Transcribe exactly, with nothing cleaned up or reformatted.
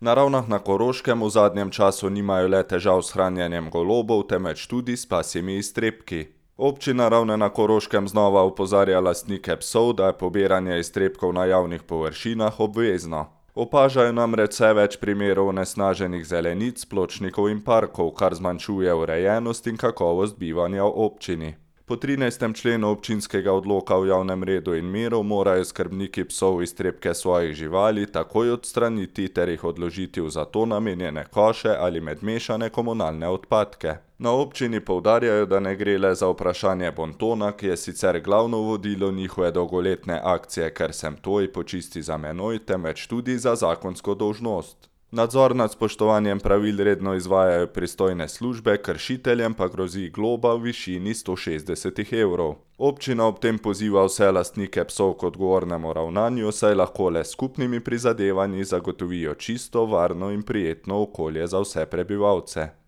Na Ravnah na Koroškem v zadnjem času nimajo le težav s hranjenjem golobov, temveč tudi s pasjimi iztrebki. Občina Ravne na Koroškem znova opozarja lastnike psov, da je pobiranje iztrebkov na javnih površinah obvezno. Opažajo namreč vse več primerov onesnaženih zelenic, pločnikov in parkov, kar zmanjšuje urejenost in kakovost bivanja v občini. Po trinajstem členu občinskega odloka o javnem redu in miru morajo skrbniki psov iztrebke svojih živali takoj odstraniti ter jih odložiti v za to namenjene koše ali med mešane komunalne odpadke. Na občini poudarjajo, da ne gre le za vprašanje bontona, ki je sicer glavno vodilo njihove dolgoletne akcije Ker sem tvoj, počisti za menoj, temveč tudi za zakonsko dolžnost. Nadzor nad spoštovanjem pravil redno izvajajo pristojne službe, kršiteljem pa grozi globa v višini sto šestdeset evrov. Občina ob tem poziva vse lastnike psov k odgovornemu ravnanju, saj lahko le s skupnimi prizadevanji zagotovijo čisto, varno in prijetno okolje za vse prebivalce.